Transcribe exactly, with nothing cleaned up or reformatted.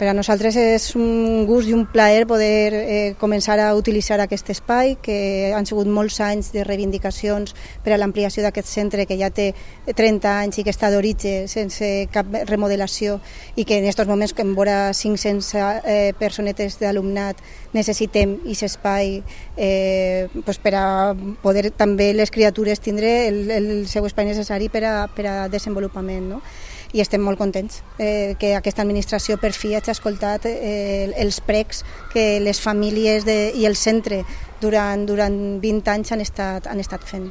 Per a nosaltres és un gust i un plaer poder eh, començar a utilitzar aquest espai, que han sigut molts anys de reivindicacions per a l'ampliació d'aquest centre, que ja té trenta anys i que està d'origen sense cap remodelació, i que en aquests moments, que en vora cinc-centes eh, personetes d'alumnat, necessitem aquest espai eh, pues per a poder també les criatures tindre el, el seu espai necessari per a, per a desenvolupament, no? I estem molt contents eh, que aquesta administració per fi hagi escoltat eh, els precs que les famílies de, i el centre durant, durant vint anys han estat, han estat fent.